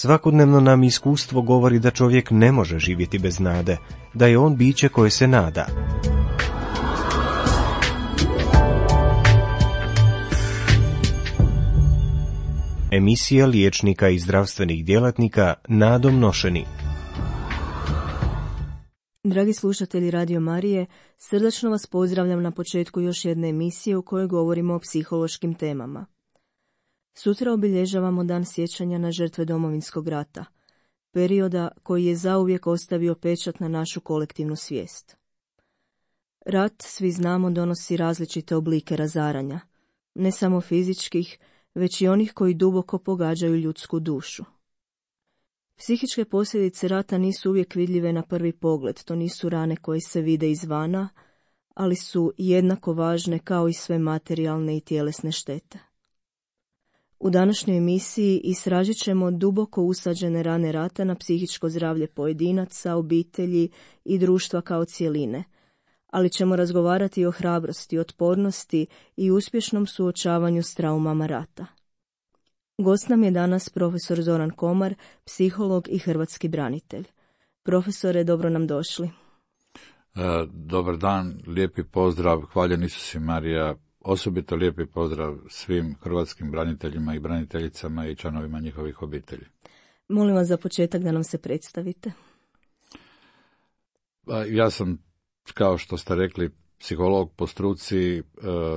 Svakodnevno nam iskustvo govori da čovjek ne može živjeti bez nade, da je on biće koje se nada. Emisija liječnika i zdravstvenih djelatnika nadom nošeni. Dragi slušatelji Radio Marije, srdačno vas pozdravljam na početku još jedne emisije u kojoj govorimo o psihološkim temama. Sutra obilježavamo dan sjećanja na žrtve Domovinskog rata, perioda koji je zauvijek ostavio pečat na našu kolektivnu svijest. Rat, svi znamo, donosi različite oblike razaranja, ne samo fizičkih, već i onih koji duboko pogađaju ljudsku dušu. Psihičke posljedice rata nisu uvijek vidljive na prvi pogled, to nisu rane koje se vide izvana, ali su jednako važne kao i sve materijalne i tjelesne štete. U današnjoj emisiji istražit ćemo duboko usađene rane rata na psihičko zdravlje pojedinaca, obitelji i društva kao cjeline, ali ćemo razgovarati o hrabrosti, otpornosti i uspješnom suočavanju s traumama rata. Gost nam je danas profesor Zoran Komar, psiholog i hrvatski branitelj. Profesore, dobro nam došli. Dobar dan, lijepi pozdrav, hvaljen Isus i Marija, osobito lijepi pozdrav svim hrvatskim braniteljima i braniteljicama i članovima njihovih obitelji. Molim vas za početak da nam se predstavite. Ja sam, kao što ste rekli, psiholog po struci,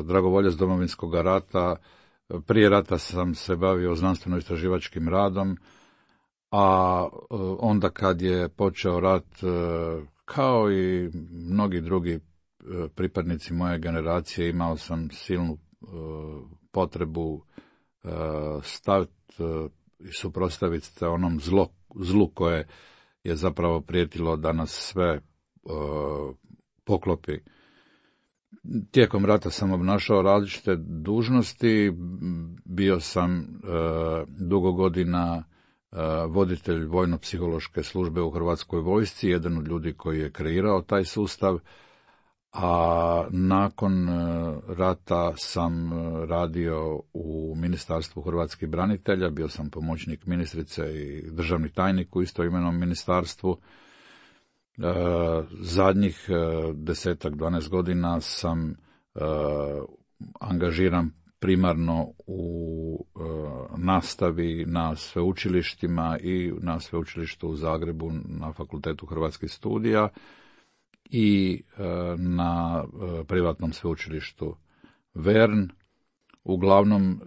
dragovoljac Domovinskog rata. Prije rata sam se bavio znanstveno-istraživačkim radom, a onda kad je počeo rat, kao i mnogi drugi pripadnici moje generacije, imao sam silnu potrebu staviti i suprotstaviti se onom zlu koje je zapravo prijetilo da nas sve poklopi. Tijekom rata sam obnašao različite dužnosti, bio sam dugo godina voditelj vojno-psihološke službe u Hrvatskoj vojsci, jedan od ljudi koji je kreirao taj sustav, a nakon rata sam radio u Ministarstvu hrvatskih branitelja, bio sam pomoćnik ministrice i državni tajnik u istoimenom ministarstvu. Zadnjih 10-12 godina sam angažiran primarno u nastavi na sveučilištima i na sveučilištu u Zagrebu na Fakultetu hrvatskih studija i na privatnom sveučilištu Vern. Uglavnom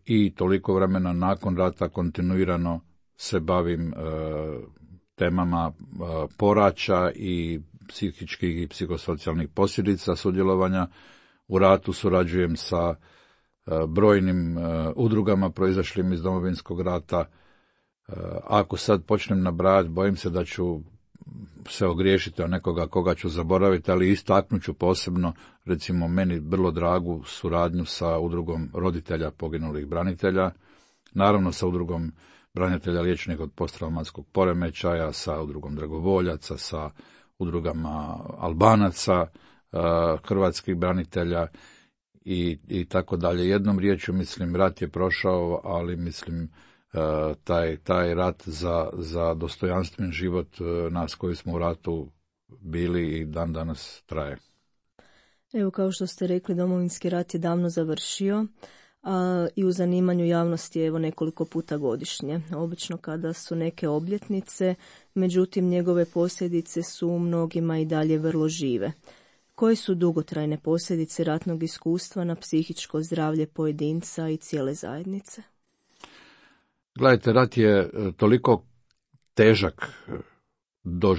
i toliko vremena nakon rata kontinuirano se bavim temama poraća i psihičkih i psihosocijalnih posljedica sudjelovanja u ratu. Surađujem sa brojnim udrugama proizašlim iz Domovinskog rata. Ako sad počnem nabrajati, bojim se da ću se ogriješiti o nekoga koga ću zaboraviti, ali istaknut ću posebno, recimo, meni vrlo dragu suradnju sa udrugom roditelja poginulih branitelja, naravno sa udrugom branitelja liječenih od posttraumatskog poremećaja, sa udrugom dragovoljaca, sa udrugama Albanaca, hrvatskih branitelja i tako dalje. Jednom riječju, mislim, rat je prošao, ali mislim taj rat za dostojanstven život nas koji smo u ratu bili i dan danas traje. Evo, kao što ste rekli, Domovinski rat je davno završio, a i u zanimanju javnosti je nekoliko puta godišnje, obično kada su neke obljetnice, međutim njegove posljedice su mnogima i dalje vrlo žive. Koje su dugotrajne posljedice ratnog iskustva na psihičko zdravlje pojedinca i cijele zajednice? Gledajte, rat je toliko težak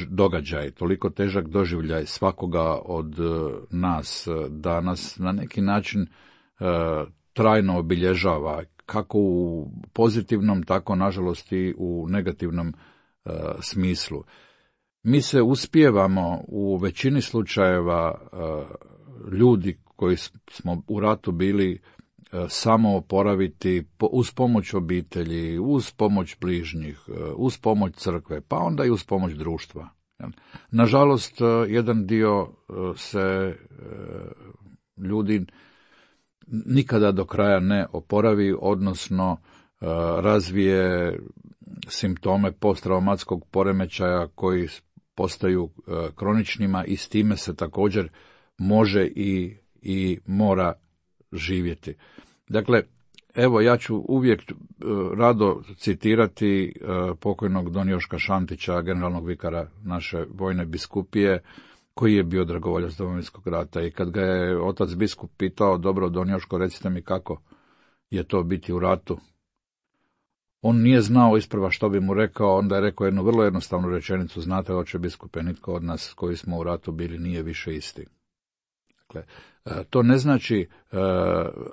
događaj, toliko težak doživljaj svakoga od nas, da nas na neki način trajno obilježava, kako u pozitivnom, tako nažalost i u negativnom smislu. Mi se uspijevamo u većini slučajeva, ljudi koji smo u ratu bili, samo oporaviti uz pomoć obitelji, uz pomoć bližnjih, uz pomoć crkve, pa onda i uz pomoć društva. Nažalost, jedan dio se ljudi nikada do kraja ne oporavi, odnosno razvije simptome posttraumatskog poremećaja koji postaju kroničnima i s time se također može i mora živjeti. Dakle, evo ja ću uvijek rado citirati pokojnog don Joška Šantića, generalnog vikara naše vojne biskupije, koji je bio dragovoljac Domovinskog rata, i kad ga je otac biskup pitao, dobro don Joško, recite mi kako je to biti u ratu, on nije znao isprva što bi mu rekao, onda je rekao jednu vrlo jednostavnu rečenicu, znate oče biskupe, nitko od nas koji smo u ratu bili nije više isti. Dakle, to ne znači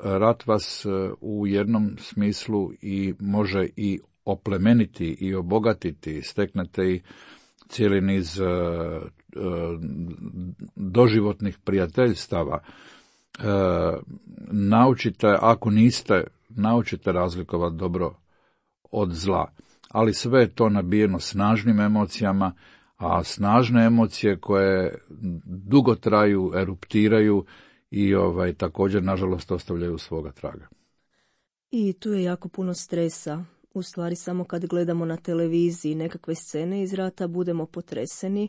rat vas u jednom smislu i može i oplemeniti i obogatiti, steknete i cijeli niz doživotnih prijateljstava. Naučite, ako niste, naučite razlikovati dobro od zla, ali sve je to nabijeno snažnim emocijama, a snažne emocije koje dugo traju, eruptiraju i također nažalost ostavljaju svoga traga. I tu je jako puno stresa. U stvari samo kad gledamo na televiziji nekakve scene iz rata budemo potreseni,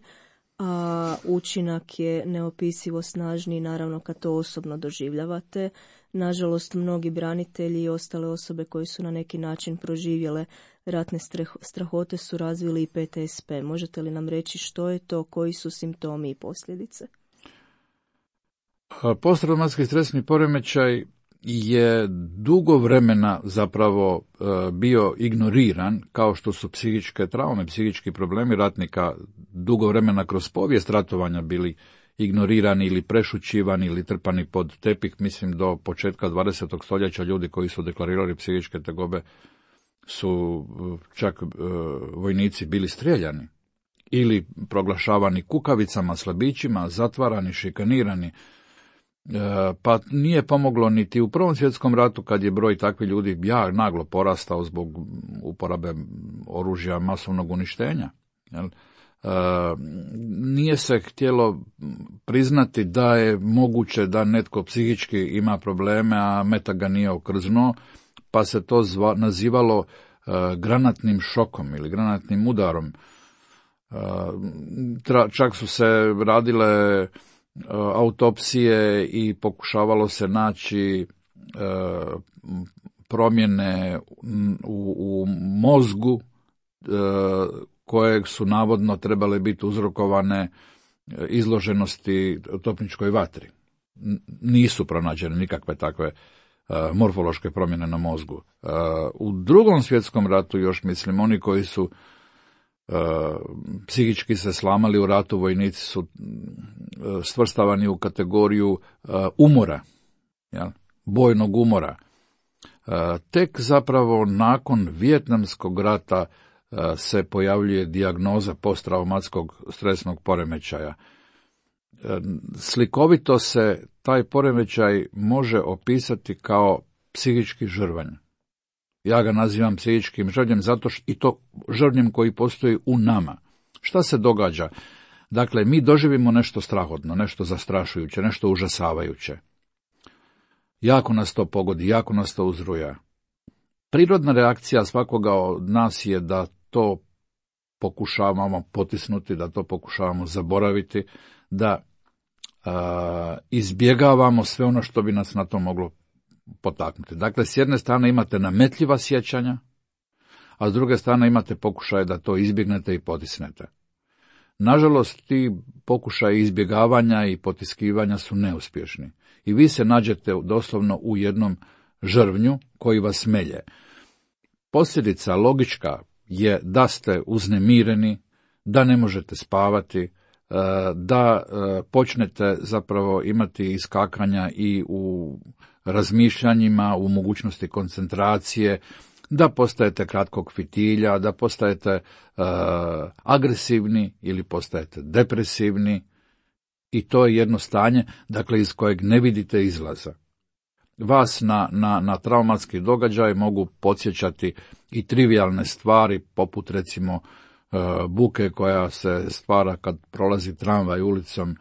a učinak je neopisivo snažniji naravno kad to osobno doživljavate. Nažalost, mnogi branitelji i ostale osobe koji su na neki način proživjele ratne strahote su razvili i PTSP. Možete li nam reći što je to, koji su simptomi i posljedice? Posttraumatski stresni poremećaj je dugo vremena zapravo bio ignoriran, kao što su psihičke traume, psihički problemi ratnika dugo vremena kroz povijest ratovanja bili ignorirani ili prešućivani ili trpani pod tepih. Mislim do početka 20. stoljeća ljudi koji su deklarirali psihičke tegobe su čak vojnici bili strijeljani ili proglašavani kukavicama, slabićima, zatvarani, šikanirani. Pa nije pomoglo niti u Prvom svjetskom ratu kad je broj takvih ljudi naglo porastao zbog uporabe oružja masovnog uništenja. Nije se htjelo priznati da je moguće da netko psihički ima probleme, a meta ga nije okrznuo, pa se to nazivalo granatnim šokom ili granatnim udarom. Čak su se radile autopsije i pokušavalo se naći promjene u mozgu kojeg su navodno trebale biti uzrokovane izloženosti topničkoj vatri. Nisu pronađene nikakve takve morfološke promjene na mozgu. U Drugom svjetskom ratu još mislim oni koji su psihički se slamali u ratu, vojnici su svrstavani u kategoriju umora, bojnog umora. Tek zapravo nakon Vijetnamskog rata se pojavljuje dijagnoza posttraumatskog stresnog poremećaja. Slikovito se taj poremećaj može opisati kao psihički žrvanj. Ja ga nazivam psihičkim žrvanjem zato što i to žrvanjem koji postoji u nama. Šta se događa? Dakle, mi doživimo nešto strahotno, nešto zastrašujuće, nešto užasavajuće. Jako nas to pogodi, jako nas to uzruja. Prirodna reakcija svakoga od nas je da to pokušavamo potisnuti, da to pokušavamo zaboraviti, da izbjegavamo sve ono što bi nas na to moglo potaknuti. Dakle, s jedne strane imate nametljiva sjećanja, a s druge strane imate pokušaje da to izbjegnete i potisnete. Nažalost, ti pokušaji izbjegavanja i potiskivanja su neuspješni. I vi se nađete doslovno u jednom žrvnju koji vas melje. Posljedica logička je da ste uznemireni, da ne možete spavati, da počnete zapravo imati iskakanja i u razmišljanjima, u mogućnosti koncentracije, da postajete kratkog fitilja, da postajete agresivni ili postajete depresivni, i to je jedno stanje, dakle, iz kojeg ne vidite izlaza. Vas na traumatski događaj mogu podsjećati i trivijalne stvari, poput recimo buke koja se stvara kad prolazi tramvaj ulicom,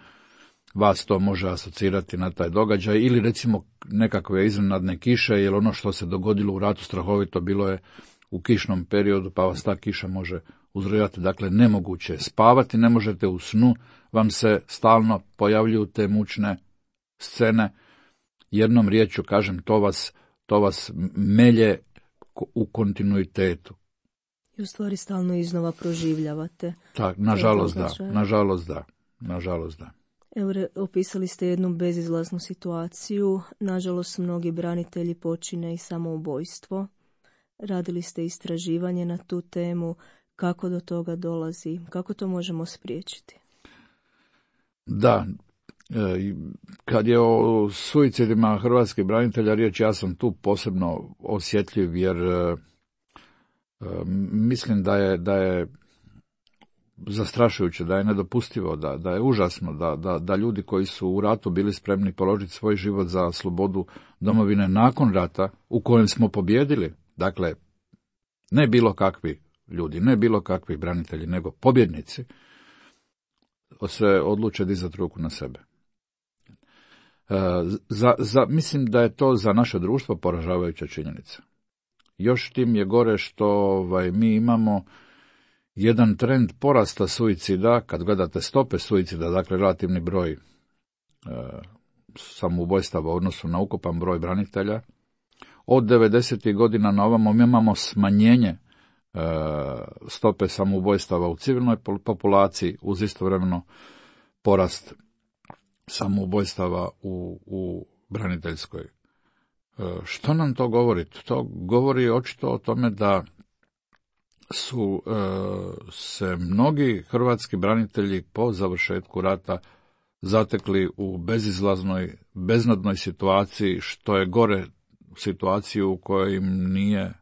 vas to može asocirati na taj događaj, ili recimo nekakve iznenadne kiše, jer ono što se dogodilo u ratu strahovito bilo je u kišnom periodu, pa vas ta kiša može uzrujati. Dakle, nemoguće je spavati, ne možete u snu, vam se stalno pojavljuju te mučne scene. Jednom riječju kažem, to vas melje u kontinuitetu. I u stvari stalno iznova proživljavate. Tak, nažalost da. Evo, opisali ste jednu bezizlaznu situaciju. Nažalost, mnogi branitelji počine i samoubojstvo. Radili ste istraživanje na tu temu. Kako do toga dolazi? Kako to možemo spriječiti? Da, kad je o suicidima hrvatskih branitelja riječ, ja sam tu posebno osjetljiv, jer mislim da je zastrašujuće, da je nedopustivo, da je užasno, da ljudi koji su u ratu bili spremni položiti svoj život za slobodu domovine nakon rata, u kojem smo pobjedili, dakle, ne bilo kakvi ljudi, ne bilo kakvi branitelji, nego pobjednici, se odluče dizati ruku na sebe. Mislim da je to za naše društvo poražavajuća činjenica. Još tim je gore što mi imamo jedan trend porasta suicida, kad gledate stope suicida, dakle relativni broj samoubojstava u odnosu na ukupan broj branitelja. Od 90. godina na ovamo imamo smanjenje stope samoubojstava u civilnoj populaciji, uz istovremeno porast samoubojstava u braniteljskoj. Što nam to govori? To govori očito o tome da su se mnogi hrvatski branitelji po završetku rata zatekli u bezizlaznoj, beznadnoj situaciji, što je gore situaciju u kojoj im nije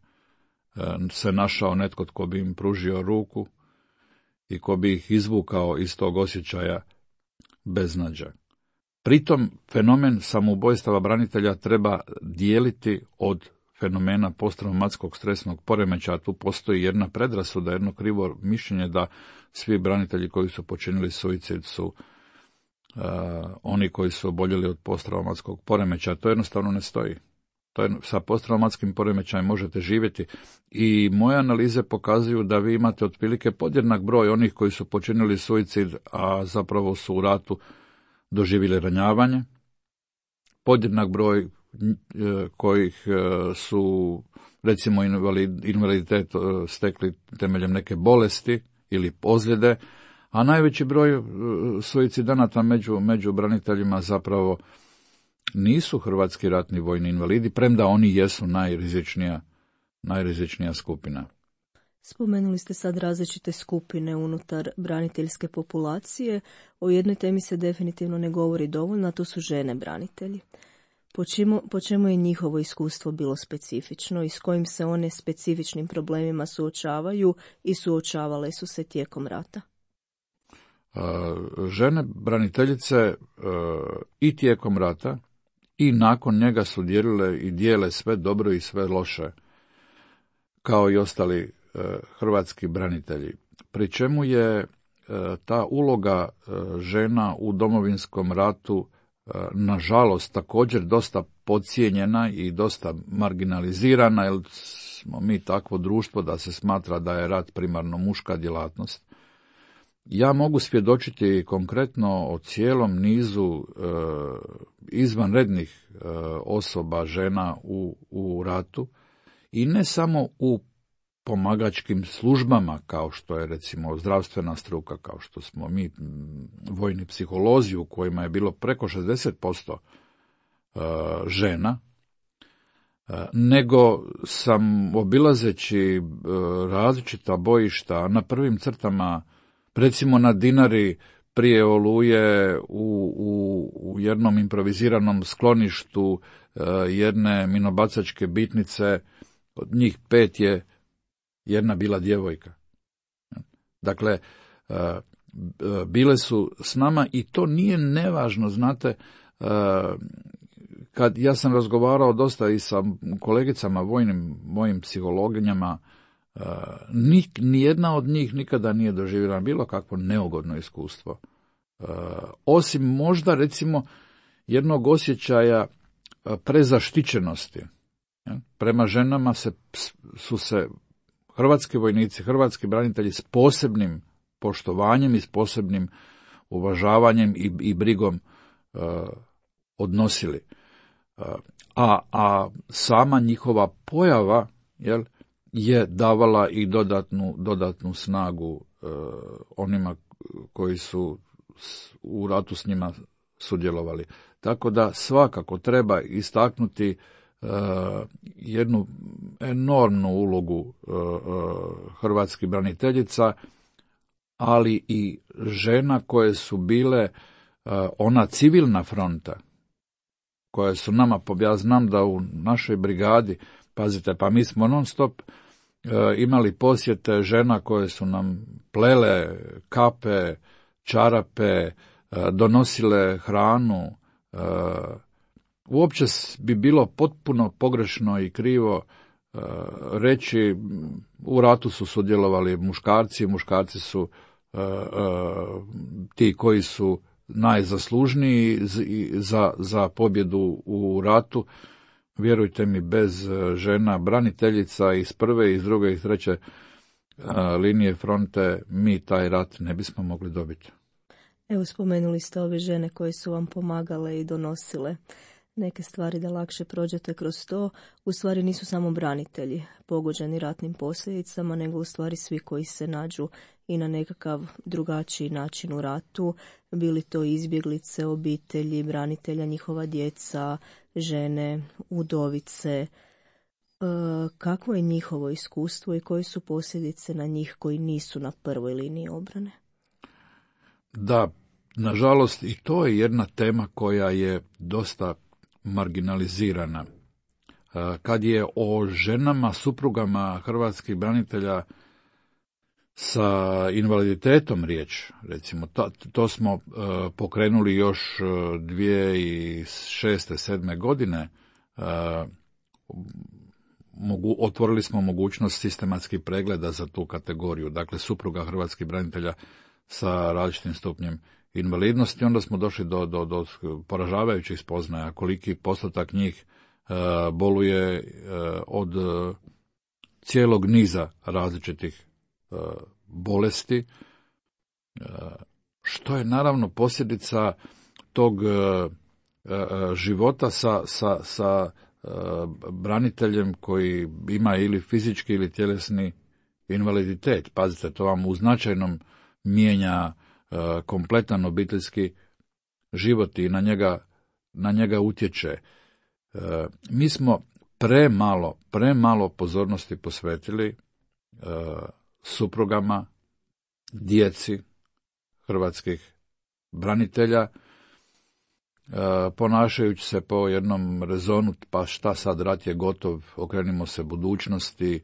se našao netko tko bi im pružio ruku i ko bi ih izvukao iz tog osjećaja beznađa. Pritom fenomen samoubojstava branitelja treba dijeliti od fenomena posttraumatskog stresnog poremećaja. Tu postoji jedna predrasuda, jedno krivo mišljenje da svi branitelji koji su počinili suicid su oni koji su oboljeli od posttraumatskog poremećaja. To jednostavno ne stoji. Sa posttraumatskim poremećajem možete živjeti i moje analize pokazuju da vi imate otprilike podjednak broj onih koji su počinili suicid, a zapravo su u ratu doživjeli ranjavanje, podjednak broj kojih su recimo invaliditet stekli temeljem neke bolesti ili ozljede, a najveći broj suicidanata među braniteljima zapravo nisu hrvatski ratni vojni invalidi, premda oni jesu najrizičnija skupina. Spomenuli ste sad različite skupine unutar braniteljske populacije. O jednoj temi se definitivno ne govori dovoljno, a to su žene branitelji. Po čemu je njihovo iskustvo bilo specifično i s kojim se one specifičnim problemima suočavaju i suočavale su se tijekom rata? Žene braniteljice i tijekom rata i nakon njega su dijelile i dijele sve dobro i sve loše, kao i ostali hrvatski branitelji. Pri čemu je ta uloga žena u Domovinskom ratu nažalost također dosta podcijenjena i dosta marginalizirana, jer smo mi takvo društvo da se smatra da je rat primarno muška djelatnost. Ja mogu svjedočiti konkretno o cijelom nizu izvanrednih osoba, žena u ratu, i ne samo u pomagačkim službama, kao što je recimo zdravstvena struka, kao što smo mi vojni psiholozi, u kojima je bilo preko 60% žena, nego sam obilazeći različita bojišta na prvim crtama, recimo na Dinari prije Oluje u jednom improviziranom skloništu jedne minobacačke bitnice, od njih 5 je jedna bila djevojka. Dakle, bile su s nama i to nije nevažno, znate, kad ja sam razgovarao dosta i sa kolegicama mojim psihologinjama, nijedna od njih nikada nije doživjela bilo kakvo neugodno iskustvo. Osim možda recimo jednog osjećaja prezaštićenosti. Prema ženama su se hrvatski vojnici, hrvatski branitelji s posebnim poštovanjem i s posebnim uvažavanjem i brigom odnosili. A sama njihova pojava je davala i dodatnu snagu onima koji su u ratu s njima sudjelovali. Tako da svakako treba istaknuti jednu enormnu ulogu hrvatskih braniteljica, ali i žena koje su bile ona civilna fronta, koje su nama, ja znam da u našoj brigadi, pazite, pa mi smo non stop imali posjete žena koje su nam plele kape, čarape, donosile hranu. Uopće bi bilo potpuno pogrešno i krivo reći u ratu su sudjelovali muškarci su ti koji su najzaslužniji za pobjedu u ratu. Vjerujte mi, bez žena braniteljica iz prve, iz druge i treće linije fronte mi taj rat ne bismo mogli dobiti. Evo, spomenuli ste ove žene koje su vam pomagale i donosile neke stvari da lakše prođete kroz to. U stvari nisu samo branitelji pogođeni ratnim posljedicama, nego u stvari svi koji se nađu i na nekakav drugačiji način u ratu, bili to izbjeglice, obitelji, branitelja, njihova djeca, žene, udovice. Kakvo je njihovo iskustvo i koje su posljedice na njih koji nisu na prvoj liniji obrane? Da, nažalost, i to je jedna tema koja je dosta marginalizirana. Kad je o ženama, suprugama hrvatskih branitelja sa invaliditetom riječ, recimo, to smo pokrenuli još 2006. 2007. godine, otvorili smo mogućnost sistematskih pregleda za tu kategoriju, dakle supruga hrvatskih branitelja sa različitim stupnjem invalidnosti. Onda smo došli do poražavajućih spoznaja koliki postotak njih boluje od cijelog niza različitih bolesti, što je naravno posljedica tog života sa braniteljem koji ima ili fizički ili tjelesni invaliditet. Pazite, to vam u značajnom mijenja kompletan obiteljski život i na njega utječe. Mi smo premalo pozornosti posvetili suprugama, djeci hrvatskih branitelja, ponašajući se po jednom rezonu, pa šta sad, rat je gotov, okrenimo se budućnosti,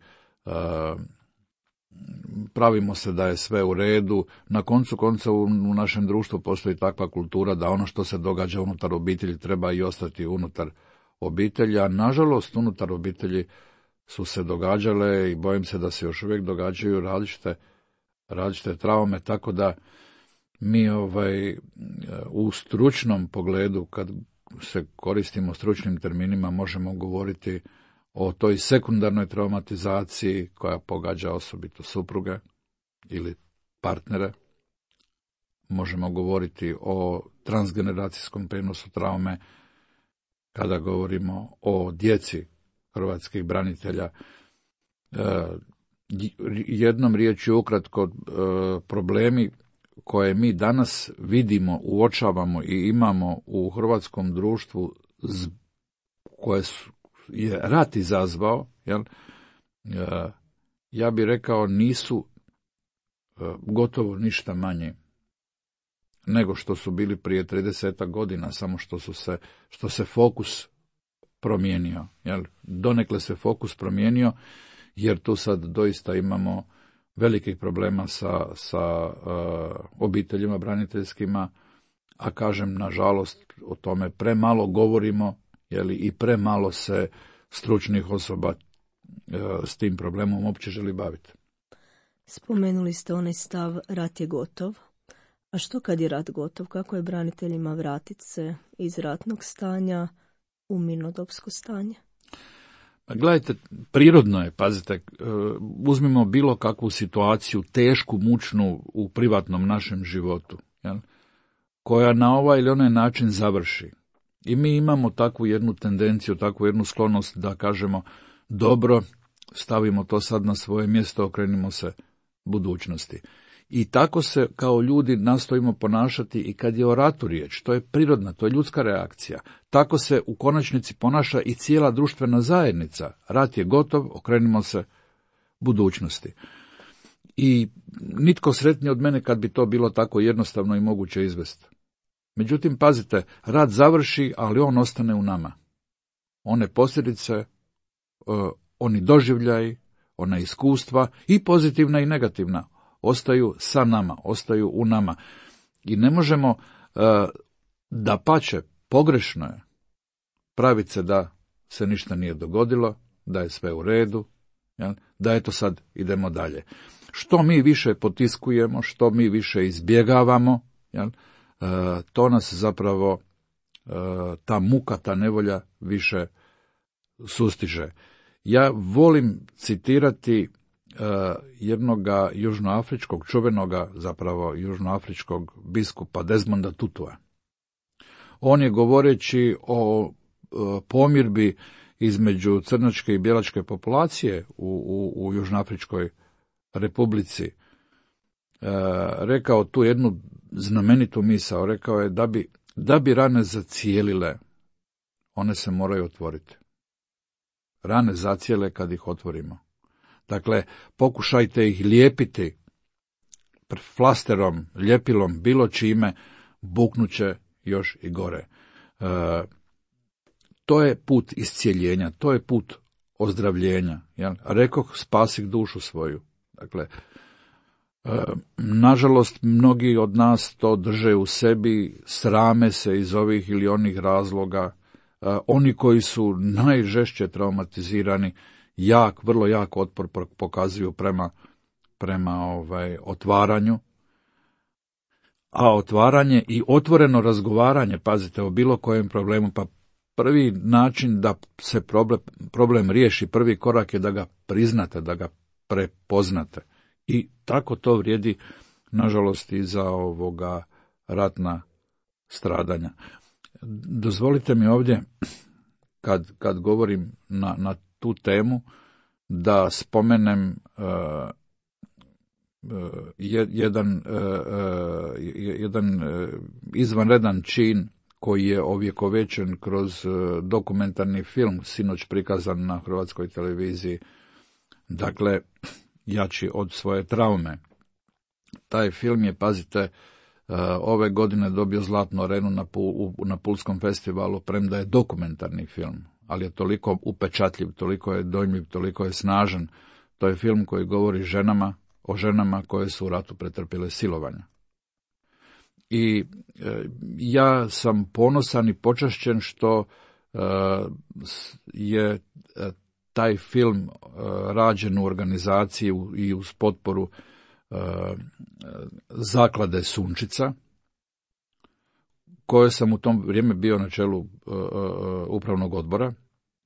pravimo se da je sve u redu. Na koncu konca u našem društvu postoji takva kultura da ono što se događa unutar obitelji treba i ostati unutar obitelji, a nažalost unutar obitelji su se događale i bojim se da se još uvijek događaju različite traume, tako da mi u stručnom pogledu, kad se koristimo stručnim terminima, možemo govoriti o toj sekundarnoj traumatizaciji koja pogađa osobito supruge ili partnere. Možemo govoriti o transgeneracijskom prijenosu traume kada govorimo o djeci hrvatskih branitelja. Jednom riječju ukratko, problemi koje mi danas vidimo, uočavamo i imamo u hrvatskom društvu koje je rat izazvao, ja bih rekao nisu gotovo ništa manje nego što su bili prije 30 godina, samo što se fokus promijenio. Donekle se fokus promijenio, jer tu sad doista imamo velikih problema sa obiteljima braniteljskima, a kažem, nažalost, o tome premalo govorimo, i premalo se stručnih osoba s tim problemom uopće želi baviti. Spomenuli ste onaj stav rat je gotov. A što kad je rat gotov? Kako je braniteljima vratiti se iz ratnog stanja u mirnodopsko stanje? Gledajte, prirodno je, pazite, uzmimo bilo kakvu situaciju, tešku, mučnu u privatnom našem životu, jel, koja na ovaj ili onaj način završi. I mi imamo takvu jednu tendenciju, takvu jednu sklonost da kažemo, dobro, stavimo to sad na svoje mjesto, okrenimo se budućnosti. I tako se kao ljudi nastojimo ponašati i kad je o ratu riječ, to je prirodna, to je ljudska reakcija. Tako se u konačnici ponaša i cijela društvena zajednica. Rat je gotov, okrenimo se budućnosti. I nitko sretniji od mene kad bi to bilo tako jednostavno i moguće izvesti. Međutim, pazite, rat završi, ali on ostane u nama. One posljedice, oni doživljaji, ona iskustva, i pozitivna i negativna, ostaju sa nama, ostaju u nama. I ne možemo, dapače, pogrešno je praviti se da se ništa nije dogodilo, da je sve u redu, jel? Da eto sad idemo dalje. Što mi više potiskujemo, što mi više izbjegavamo, jel? To nas zapravo, ta muka, ta nevolja više sustiže. Ja volim citirati jednoga južnoafričkog, čuvenoga zapravo južnoafričkog biskupa Desmonda Tutua. On je govoreći o pomirbi između crnačke i bijelačke populacije u Južnoafričkoj republici rekao tu jednu znamenitu misao. Rekao je da bi rane zacijelile, one se moraju otvoriti. Rane zacijele kad ih otvorimo. Dakle, pokušajte ih lijepiti flasterom, ljepilom, bilo čime, buknuće još i gore. To je put iscijeljenja, to je put ozdravljenja. Jel? Rekoh, spasih dušu svoju. Dakle, nažalost, mnogi od nas to drže u sebi, srame se iz ovih ili onih razloga. Oni koji su najžešće traumatizirani, vrlo jak otpor pokazuju prema otvaranju. A otvaranje i otvoreno razgovaranje, pazite, o bilo kojem problemu, pa prvi način da se problem riješi, prvi korak je da ga priznate, da ga prepoznate. I tako to vrijedi, nažalost, i za ratna stradanja. Dozvolite mi ovdje, kad govorim na tu temu, da spomenem jedan izvanredan čin koji je ovjekovečen kroz dokumentarni film, sinoć prikazan na Hrvatskoj televiziji, dakle, Jači od svoje traume. Taj film je, pazite, ove godine dobio Zlatnu arenu na Pulskom festivalu, premda je dokumentarni film, ali je toliko upečatljiv, toliko je dojmljiv, toliko je snažan. To je film koji govori o ženama koje su u ratu pretrpjele silovanja. I ja sam ponosan i počašćen što je taj film rađen u organizaciji i uz potporu zaklade Sunčica, koje sam u tom vrijeme bio na čelu upravnog odbora,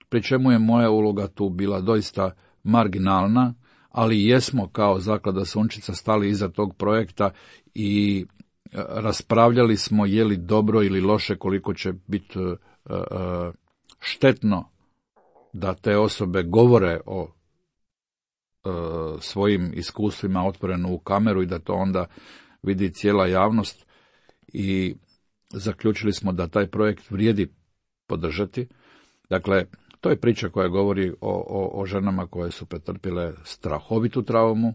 pri čemu je moja uloga tu bila doista marginalna, ali jesmo kao zaklada Sunčica stali iza tog projekta i raspravljali smo je li dobro ili loše, koliko će biti štetno da te osobe govore o svojim iskustvima otvoreno u kameru i da to onda vidi cijela javnost, i zaključili smo da taj projekt vrijedi podržati. Dakle, to je priča koja govori o ženama koje su pretrpjele strahovitu traumu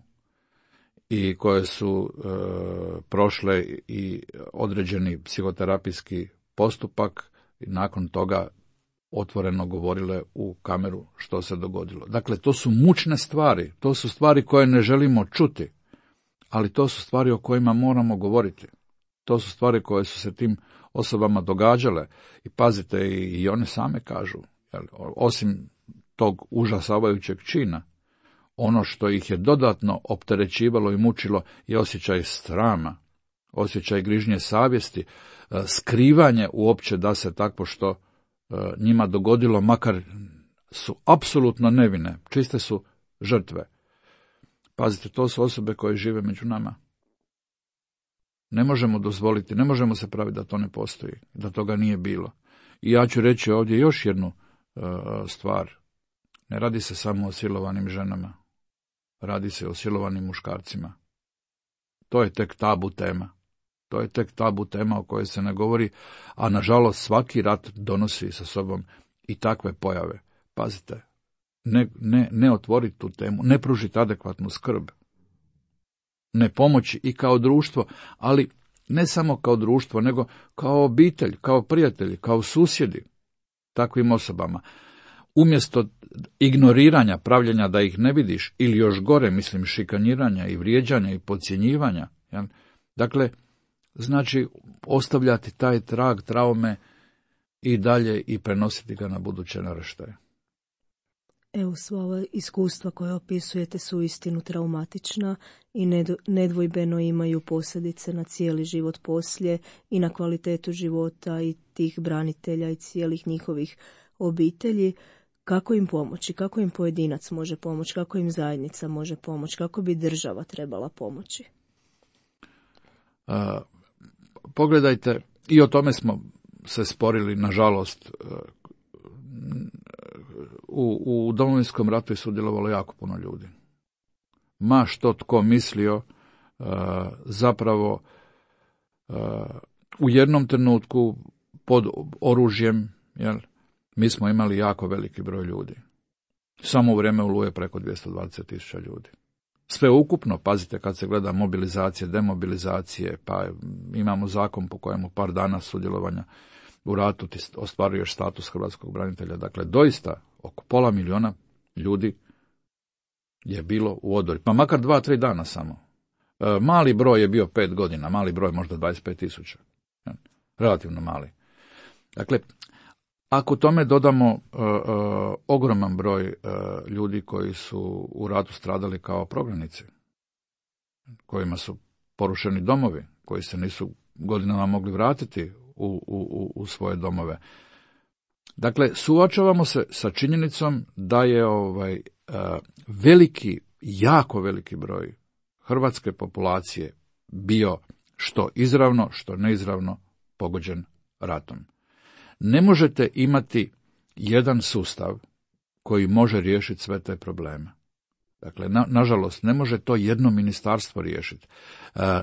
i koje su prošle i određeni psihoterapijski postupak i nakon toga otvoreno govorile u kameru što se dogodilo. Dakle, to su mučne stvari, to su stvari koje ne želimo čuti, ali to su stvari o kojima moramo govoriti. To su stvari koje su se tim osobama događale i pazite, i one same kažu, osim tog užasavajućeg čina, ono što ih je dodatno opterećivalo i mučilo je osjećaj srama, osjećaj grižnje savjesti, skrivanje uopće da se takvo što njima dogodilo, makar su apsolutno nevine, čiste su žrtve. Pazite, to su osobe koje žive među nama. Ne možemo dozvoliti, ne možemo se praviti da to ne postoji, da toga nije bilo. I ja ću reći ovdje još jednu stvar. Ne radi se samo o silovanim ženama. Radi se o silovanim muškarcima. To je tek tabu tema. To je tek tabu tema o kojoj se ne govori, a nažalost svaki rat donosi sa sobom i takve pojave. Pazite, ne otvoriti tu temu, ne pružiti adekvatnu skrb, ne pomoći i kao društvo, ali ne samo kao društvo, nego kao obitelj, kao prijatelji, kao susjedi takvim osobama. Umjesto ignoriranja, pravljenja da ih ne vidiš, ili još gore, mislim, šikaniranja i vrijeđanja i podcjenjivanja, jel? Dakle, znači ostavljati taj trag traume i dalje i prenositi ga na buduće naraštaje. Evo, sva ova iskustva koje opisujete su istinu traumatična i nedvojbeno imaju posljedice na cijeli život poslije i na kvalitetu života i tih branitelja i cijelih njihovih obitelji. Kako im pomoći? Kako im pojedinac može pomoći? Kako im zajednica može pomoći? Kako bi država trebala pomoći? Pogledajte, i o tome smo se sporili, nažalost. U Domovinskom ratu je sudjelovalo jako puno ljudi. Ma što tko mislio, zapravo u jednom trenutku pod oružjem, jel, mi smo imali jako veliki broj ljudi. Samo u vrijeme Oluje preko 220.000 ljudi. Sve ukupno, pazite, kad se gleda mobilizacije, demobilizacije, pa imamo zakon po kojemu par dana sudjelovanja u ratu ti ostvaruješ status hrvatskog branitelja. Dakle, doista oko 500.000 ljudi je bilo u odori. Pa makar 2-3 dana samo. Mali broj je bio 5 godina, mali broj možda 25.000. Relativno mali. Dakle, ako tome dodamo ogroman broj ljudi koji su u ratu stradali kao prognanici, kojima su porušeni domovi, koji se nisu godinama mogli vratiti u svoje domove. Dakle, suočavamo se sa činjenicom da je veliki, jako veliki broj hrvatske populacije bio što izravno, što neizravno pogođen ratom. Ne možete imati jedan sustav koji može riješiti sve te probleme. Dakle, nažalost, ne može to jedno ministarstvo riješiti.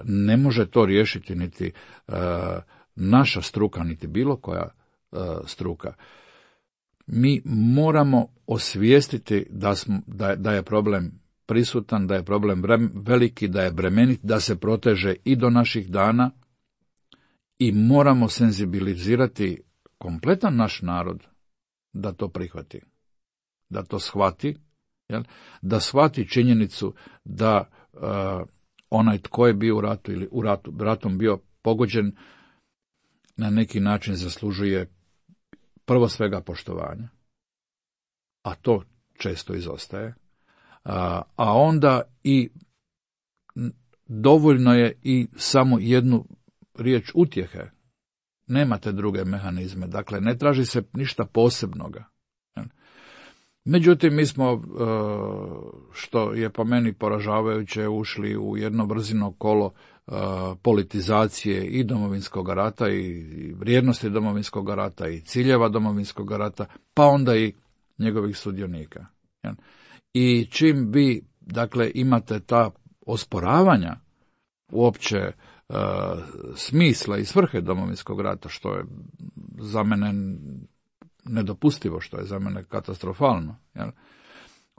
Ne može to riješiti niti naša struka, niti bilo koja struka. Mi moramo osvijestiti da je problem prisutan, da je problem veliki, da je bremenit, da se proteže i do naših dana i moramo senzibilizirati kompletan naš narod da to prihvati, da to shvati, jel? Da shvati činjenicu da onaj tko je bio u ratu ili ratom bio pogođen na neki način zaslužuje prvo svega poštovanja, a to često izostaje, a onda i dovoljno je i samo jednu riječ utjehe. Nemate druge mehanizme, dakle ne traži se ništa posebnoga. Međutim, mi smo, što je po meni poražavajuće, ušli u jedno brzino kolo politizacije i Domovinskog rata i vrijednosti Domovinskog rata i ciljeva Domovinskog rata, pa onda i njegovih sudionika. I čim vi, dakle, imate ta osporavanja uopće smisla i svrhe Domovinskog rata, što je za mene nedopustivo, što je za mene katastrofalno, jel?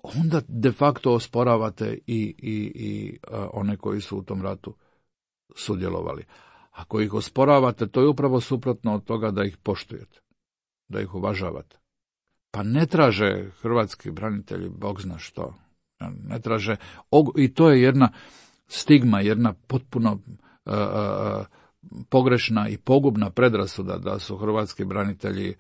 Onda de facto osporavate i one koji su u tom ratu sudjelovali. Ako ih osporavate, to je upravo suprotno od toga da ih poštujete, da ih uvažavate. Pa ne traže hrvatski branitelji bog zna što. Ne traže, i to je jedna stigma, jedna potpuno pogrešna i pogubna predrasuda da su hrvatski branitelji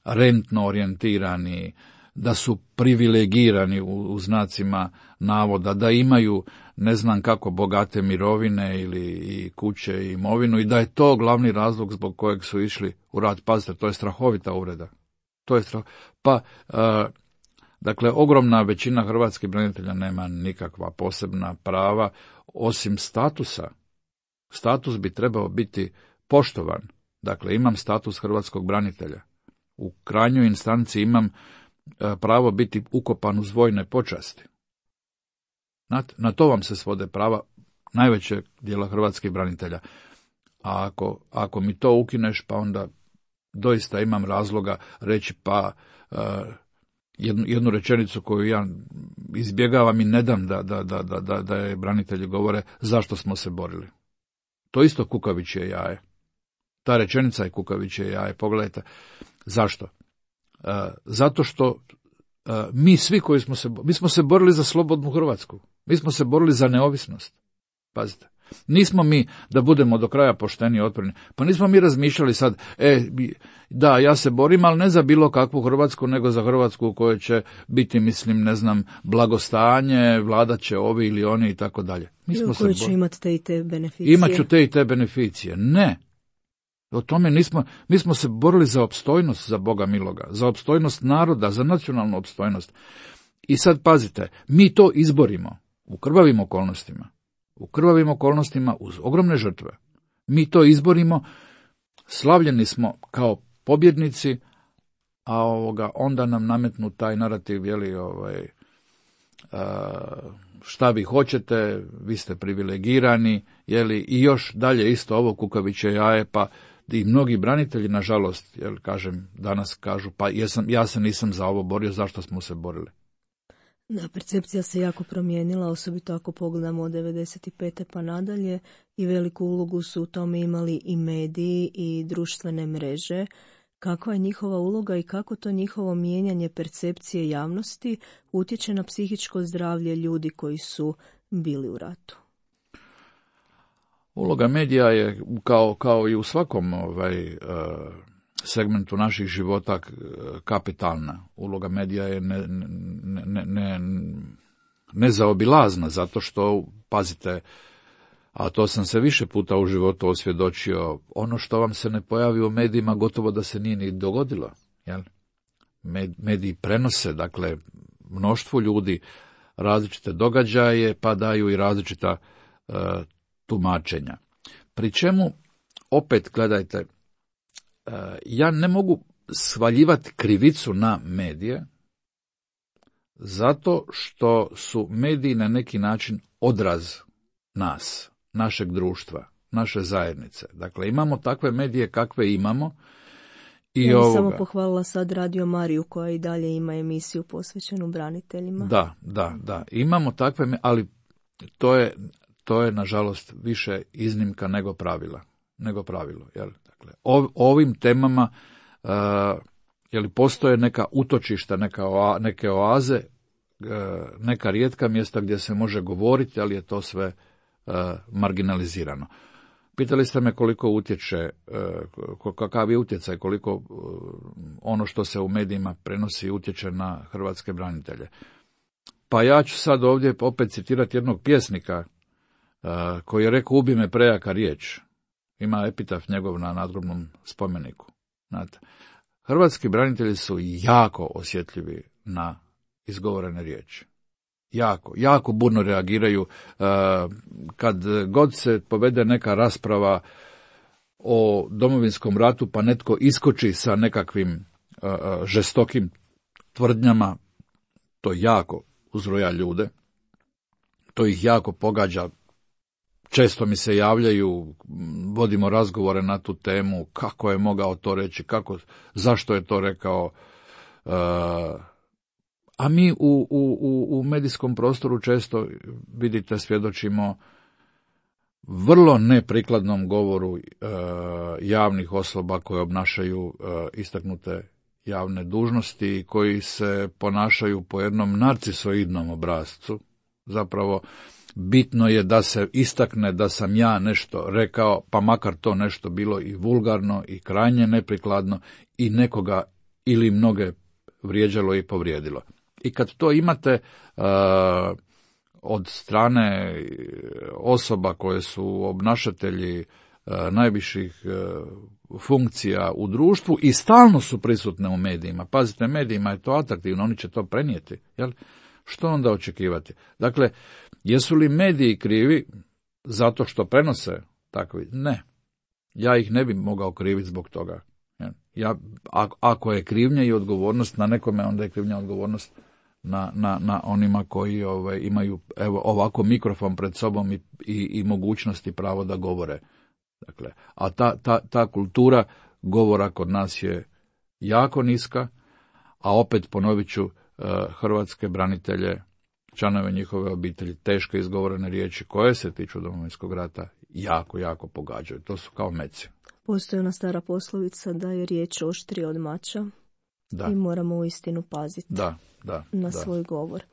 rentno orijentirani, da su privilegirani u znacima navoda, da imaju ne znam kako bogate mirovine ili i kuće i imovinu i da je to glavni razlog zbog kojeg su išli u rat. Pazite, to je strahovita uvreda. To je strah. Pa, dakle, ogromna većina hrvatskih branitelja nema nikakva posebna prava, osim statusa. Status bi trebao biti poštovan. Dakle, imam status hrvatskog branitelja. U krajnjoj instanci imam pravo biti ukopan uz vojne počasti. Na to vam se svode prava najvećeg dijela hrvatskih branitelja. A ako mi to ukineš, pa onda doista imam razloga reći jednu rečenicu koju ja izbjegavam i ne dam da je branitelji govore zašto smo se borili. To isto kukavičje jaje. Ta rečenica je kukavičje jaje. Pogledajte. Zašto? Zato što mi svi koji mi smo se borili za slobodnu Hrvatsku. Mi smo se borili za neovisnost. Pazite. Nismo mi, da budemo do kraja pošteni i otporni, pa nismo mi razmišljali sad, da, ja se borim, ali ne za bilo kakvu Hrvatsku, nego za Hrvatsku u kojoj će biti, blagostanje, vladat će ovi ili oni i tako dalje. U kojoj će imati te i te beneficije. Imaću te i te beneficije. Ne. O tome nismo, mi smo se borili za opstojnost, za Boga miloga, za opstojnost naroda, za nacionalnu opstojnost. I sad pazite, mi to izborimo u krvavim okolnostima. U krvavim okolnostima, uz ogromne žrtve. Mi to izborimo, slavljeni smo kao pobjednici, a onda nam nametnu taj narativ, šta vi hoćete, vi ste privilegirani, i još dalje isto ovo kukavičje jaje, pa i mnogi branitelji, nažalost, danas kažu, pa ja se nisam za ovo borio, zašto smo se borili? Da, percepcija se jako promijenila, osobito ako pogledamo od 95. pa nadalje, i veliku ulogu su u tome imali i mediji i društvene mreže. Kakva je njihova uloga i kako to njihovo mijenjanje percepcije javnosti utječe na psihičko zdravlje ljudi koji su bili u ratu? Uloga medija je, kao i u svakom segmentu naših života, kapitalna. Uloga medija je nezaobilazna, zato što, pazite, a to sam se više puta u životu osvjedočio, ono što vam se ne pojavi u medijima gotovo da se nije ni dogodilo. Jel? Mediji prenose, dakle, mnoštvu ljudi različite događaje, pa daju i različita tumačenja. Pri čemu, opet gledajte, ja ne mogu svaljivati krivicu na medije, zato što su mediji na neki način odraz nas, našeg društva, naše zajednice. Dakle, imamo takve medije kakve imamo. Ja bih samo pohvalila sad Radio Mariju, koja i dalje ima emisiju posvećenu braniteljima. Da. Imamo takve, ali to je nažalost više iznimka nego pravilo. Jel? Dakle, ovim temama postoje neka utočišta, neke oaze, neka rijetka mjesta gdje se može govoriti, ali je to sve marginalizirano. Pitali ste me koliko utječe, kakav je utjecaj, koliko ono što se u medijima prenosi utječe na hrvatske branitelje. Pa ja ću sad ovdje opet citirati jednog pjesnika koji je rekao: ubi me prejaka riječ. Ima epitaf njegov na nadgrobnom spomeniku. Znate, hrvatski branitelji su jako osjetljivi na izgovorene riječi. Jako burno reagiraju. Kad god se povede neka rasprava o Domovinskom ratu, pa netko iskoči sa nekakvim žestokim tvrdnjama, to jako uzruja ljude, to ih jako pogađa. Često mi se javljaju, vodimo razgovore na tu temu, kako je mogao to reći, zašto je to rekao. A mi u medijskom prostoru često, vidite, svjedočimo vrlo neprikladnom govoru javnih osoba koje obnašaju istaknute javne dužnosti, koji se ponašaju po jednom narcisoidnom obrascu. Zapravo, bitno je da se istakne da sam ja nešto rekao, pa makar to nešto bilo i vulgarno i krajnje neprikladno i nekoga ili mnoge vrijeđalo i povrijedilo. I kad to imate od strane osoba koje su obnašatelji najviših funkcija u društvu i stalno su prisutne u medijima. Pazite, medijima je to atraktivno, oni će to prenijeti. Jel? Što onda očekivati? Dakle, jesu li mediji krivi zato što prenose takvi? Ne. Ja ih ne bi mogao kriviti zbog toga. Ako je krivnja i odgovornost na nekome, onda je krivnja odgovornost na onima koji imaju ovako mikrofon pred sobom i mogućnosti i pravo da govore. Dakle, a ta kultura govora kod nas je jako niska, a opet ponovit ću, hrvatske branitelje, članove njihove obitelji, teško izgovorene riječi koje se tiču Domovinskog rata jako, jako pogađaju. To su kao meci. Postoji ona stara poslovica da je riječ oštrija od mača i moramo uistinu paziti na svoj govor.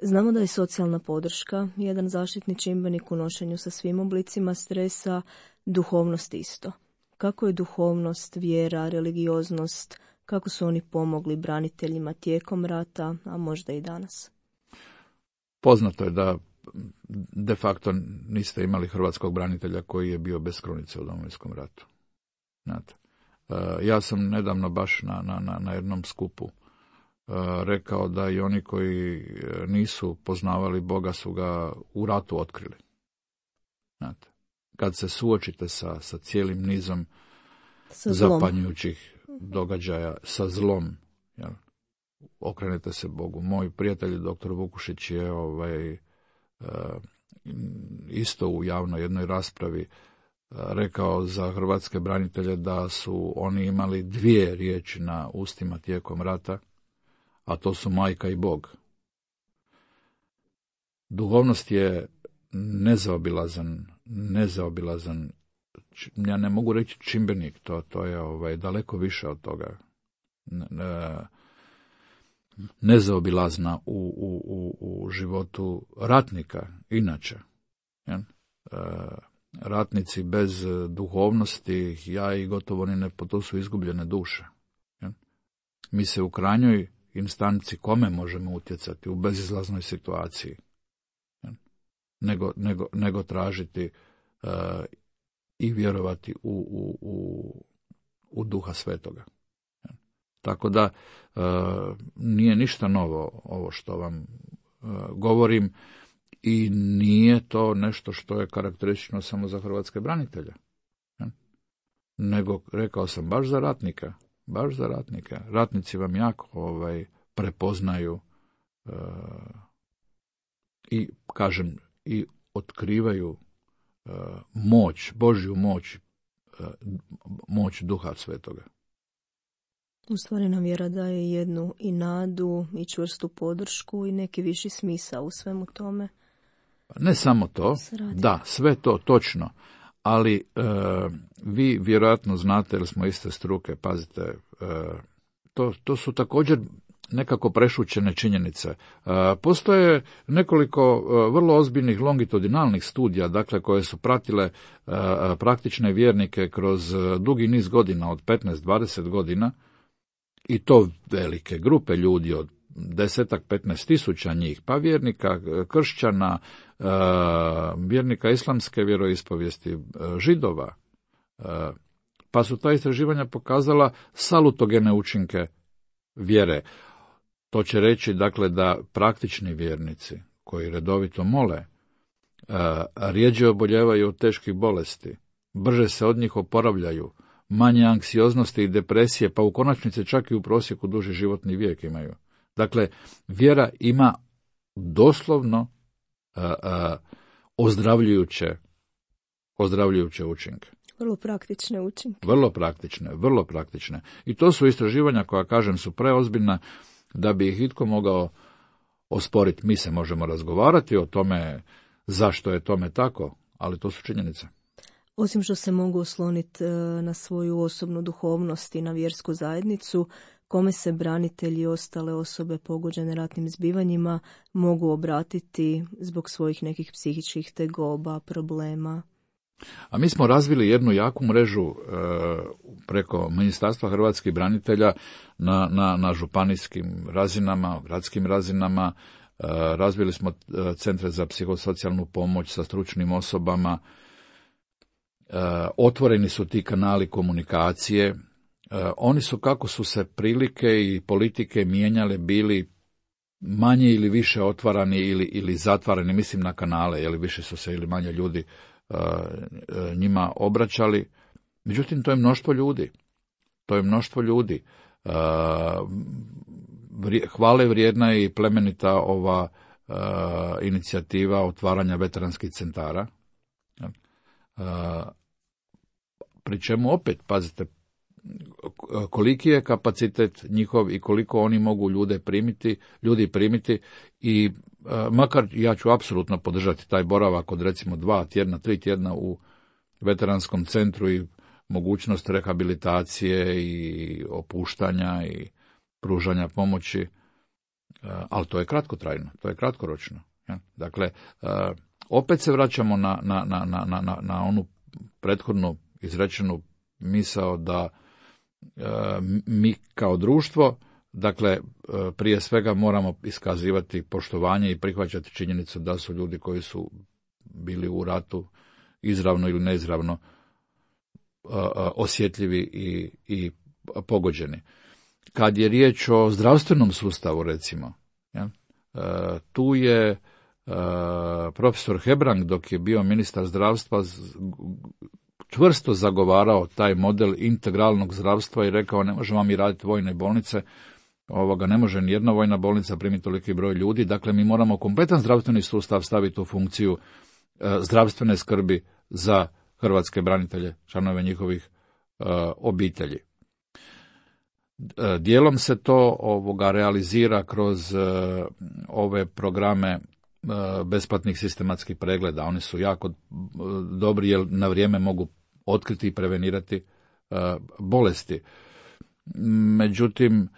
Znamo da je socijalna podrška jedan zaštitni čimbenik u nošenju sa svim oblicima stresa, duhovnost isto. Kako je duhovnost, vjera, religioznost, kako su oni pomogli braniteljima tijekom rata, a možda i danas? Poznato je da de facto niste imali hrvatskog branitelja koji je bio bez krunice u Domovinskom ratu. Znate, ja sam nedavno baš na jednom skupu rekao da i oni koji nisu poznavali Boga su ga u ratu otkrili. Znate, kad se suočite sa cijelim nizom zapanjujućih događaja, sa zlom, jel, okrenete se Bogu. Moj prijatelj dr. Vukušić je isto u javnoj jednoj raspravi rekao za hrvatske branitelje da su oni imali 2 riječi na ustima tijekom rata, a to su majka i Bog. Duhovnost je nezaobilazan, ja ne mogu reći čimbenik, to je daleko više od toga. Nezaobilazna u životu ratnika, inače. Ratnici bez duhovnosti, ja i gotovo ni ne, to su izgubljene duše. Mi se u krajnjoj instanci kome možemo utjecati u bezizlaznoj situaciji, nego tražiti i vjerovati u Duha Svetoga. Tako da nije ništa novo ovo što vam govorim i nije to nešto što je karakteristično samo za hrvatske branitelje. Nego, rekao sam, baš za ratnika. Ratnici vam jako prepoznaju i, kažem, i otkrivaju moć, Božju moć Duha Svetoga. U stvari nam vjera daje jednu i nadu i čvrstu podršku i neki viši smisao u svemu tome. Ne samo to, da, sve to točno, ali vi vjerojatno znate, jer smo iste struke, pazite, to su također nekako prešućene činjenice. Postoje nekoliko vrlo ozbiljnih longitudinalnih studija, dakle, koje su pratile praktične vjernike kroz dugi niz godina, od 15-20 godina, i to velike grupe ljudi, od 10-15 tisuća njih, pa vjernika kršćana, vjernika islamske vjeroispovijesti, Židova, pa su ta istraživanja pokazala salutogene učinke vjere. To će reći, dakle, da praktični vjernici koji redovito mole rjeđe oboljevaju od teških bolesti, brže se od njih oporavljaju, manje anksioznosti i depresije, pa u konačnici čak i u prosjeku duži životni vijek imaju. Dakle, vjera ima doslovno ozdravljujuće učinke. Vrlo praktične učinke. Vrlo praktične. I to su istraživanja koja, kažem, su preozbiljna da bi ih itko mogao osporiti. Mi se možemo razgovarati o tome zašto je tome tako, ali to su činjenice. Osim što se mogu osloniti na svoju osobnu duhovnost i na vjersku zajednicu, kome se branitelji i ostale osobe pogođene ratnim zbivanjima mogu obratiti zbog svojih nekih psihičkih tegoba, problema? A mi smo razvili jednu jaku mrežu preko Ministarstva hrvatskih branitelja na županijskim razinama, gradskim razinama. Razvili smo centre za psihosocijalnu pomoć sa stručnim osobama. otvoreni su ti kanali komunikacije, oni su, kako su se prilike i politike mijenjale, bili manje ili više otvarani ili zatvarani, mislim na kanale, jer više su se ili manje ljudi njima obraćali. Međutim, to je mnoštvo ljudi. Hvale vrijedna je i plemenita ova inicijativa otvaranja veteranskih centara, pri čemu opet, pazite, koliki je kapacitet njihov i koliko oni mogu ljudi primiti i makar ja ću apsolutno podržati taj boravak od recimo 2 tjedna, 3 tjedna u veteranskom centru i mogućnost rehabilitacije i opuštanja i pružanja pomoći, ali to je kratkotrajno, to je kratkoročno. Dakle, opet se vraćamo na onu prethodnu izrečenu misao da mi kao društvo, dakle, prije svega moramo iskazivati poštovanje i prihvaćati činjenicu da su ljudi koji su bili u ratu izravno ili neizravno osjetljivi i pogođeni. Kad je riječ o zdravstvenom sustavu, recimo, tu je profesor Hebrang, dok je bio ministar zdravstva, čvrsto zagovarao taj model integralnog zdravstva i rekao, ne možemo mi raditi vojne bolnice, ne može ni jedna vojna bolnica primiti toliki broj ljudi, dakle mi moramo kompletan zdravstveni sustav staviti u funkciju zdravstvene skrbi za hrvatske branitelje, članove njihovih obitelji. Dijelom se to realizira kroz ove programe besplatnih sistematskih pregleda. Oni su jako dobri jer na vrijeme mogu otkriti i prevenirati bolesti. Međutim,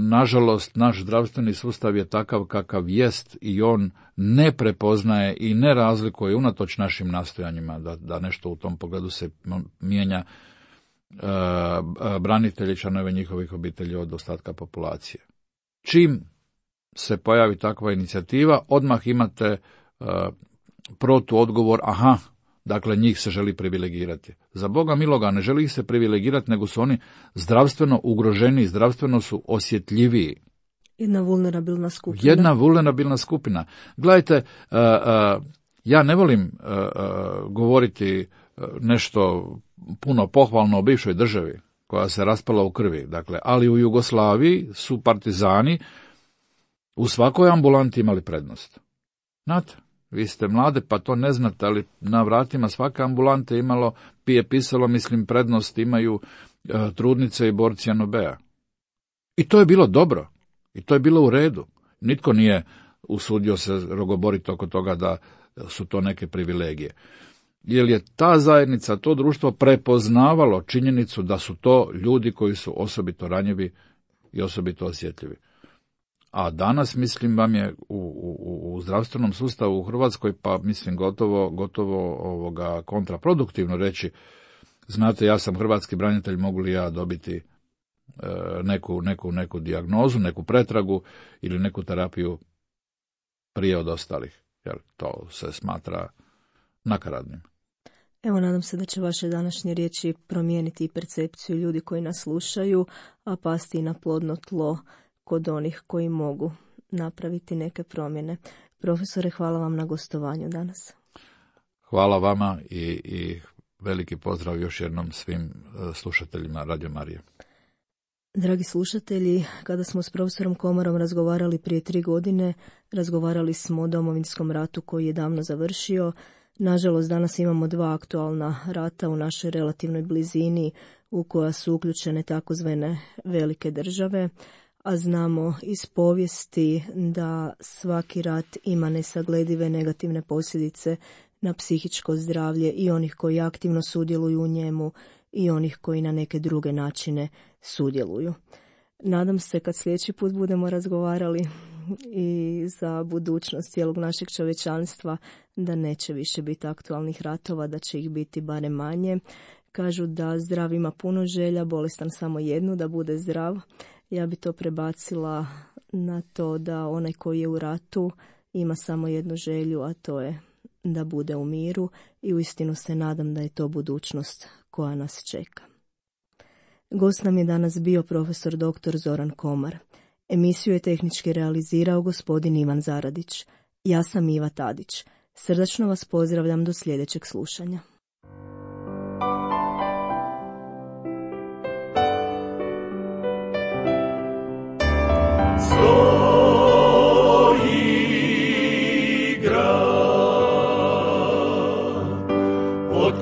nažalost, naš zdravstveni sustav je takav kakav jest i on ne prepoznaje i ne razlikuje unatoč našim nastojanjima da nešto u tom pogledu se mijenja branitelji, članove njihovih obitelji od ostatka populacije. Čim se pojavi takva inicijativa, odmah imate protuodgovor, dakle njih se želi privilegirati. Za Boga miloga, ne želi ih se privilegirati, nego su oni zdravstveno ugroženi, zdravstveno su osjetljiviji. Jedna vulnerabilna skupina. Gledajte, ja ne volim govoriti nešto puno pohvalno o bivšoj državi, koja se raspala u krvi. Dakle, ali u Jugoslaviji su partizani u svakoj ambulanti imali prednost. Znate, vi ste mlade pa to ne znate, ali na vratima svake ambulante pisalo, prednost imaju trudnice i borci NOB-a. I to je bilo dobro. I to je bilo u redu. Nitko nije usudio se rogoboriti oko toga da su to neke privilegije. Jer je ta zajednica, to društvo prepoznavalo činjenicu da su to ljudi koji su osobito ranjivi i osobito osjetljivi. A danas, vam je u zdravstvenom sustavu u Hrvatskoj, pa gotovo kontraproduktivno reći, znate, ja sam hrvatski branitelj, mogu li ja dobiti neku dijagnozu, neku pretragu ili neku terapiju prije od ostalih, jer to se smatra nakaradnim. Evo, nadam se da će vaše današnje riječi promijeniti i percepciju ljudi koji nas slušaju, a pasti na plodno tlo kod onih koji mogu napraviti neke promjene. Profesore, hvala vam na gostovanju danas. Hvala vama i veliki pozdrav još jednom svim slušateljima Radio Marije. Dragi slušatelji, kada smo s profesorom Komarom razgovarali prije 3 godine, razgovarali smo o Domovinskom ratu koji je davno završio. Nažalost, danas imamo 2 aktualna rata u našoj relativnoj blizini u koja su uključene takozvane velike države, a znamo iz povijesti da svaki rat ima nesagledive negativne posljedice na psihičko zdravlje i onih koji aktivno sudjeluju u njemu i onih koji na neke druge načine sudjeluju. Nadam se kad sljedeći put budemo razgovarali i za budućnost cijelog našeg čovječanstva da neće više biti aktualnih ratova, da će ih biti barem manje. Kažu da zdrav ima puno želja, bolestan samo jednu, da bude zdrav. Ja bi to prebacila na to da onaj koji je u ratu ima samo jednu želju, a to je da bude u miru i uistinu se nadam da je to budućnost koja nas čeka. Gost nam je danas bio profesor dr. Zoran Komar. Emisiju je tehnički realizirao gospodin Ivan Zaradić. Ja sam Iva Tadić. Srdačno vas pozdravljam do sljedećeg slušanja.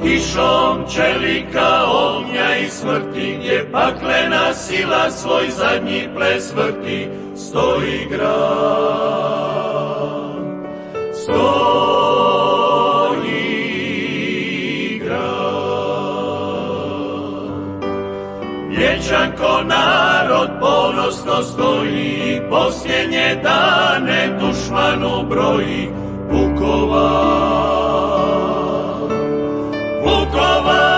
Kišom čelika, ognja i smrti, gdje paklena sila svoj zadnji ples vrti, stoji grad, stoji grad. Vječan ko narod ponosno stoji, posljednje dane dušmanu broji, Vukovar. Vukovar,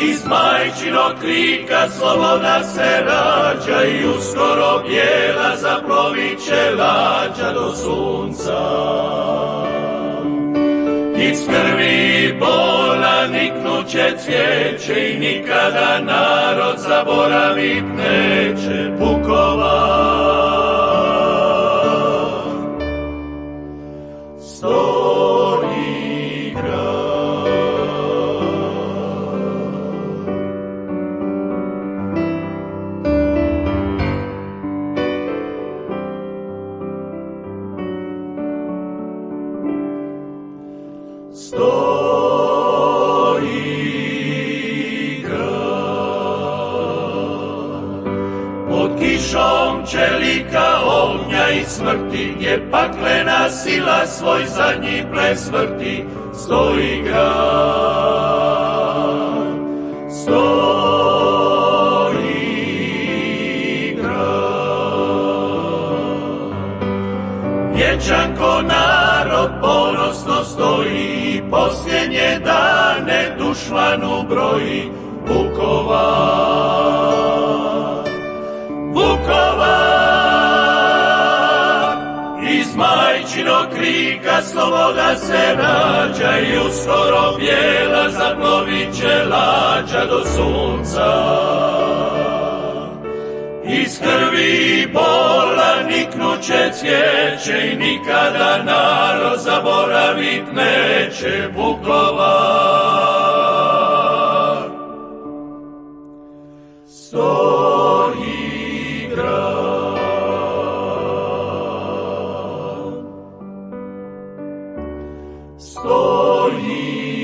iz majčinog krika sloboda se rađa i uskoro bijela zaplovit će lađa do sunca. Iz krvi bola niknuće cvijeće i nikada narod zaboravit neće Vukovar. Čelika, ognja i smrti, gdje paklena sila svoj zadnji ples vrti, stoji grad, stoji grad. Vječan ko narod ponosno stoji, posljednje dane dušmanu broji, Vukovar, Vukovar, iz majčinog krika sloboda se rađa i uskoro bijela zaplovit će lađa do sunca. Iz krvi i bola niknuće cvijeće i nikada narod zaboravit neće Vukovar. Stoji grad, stoji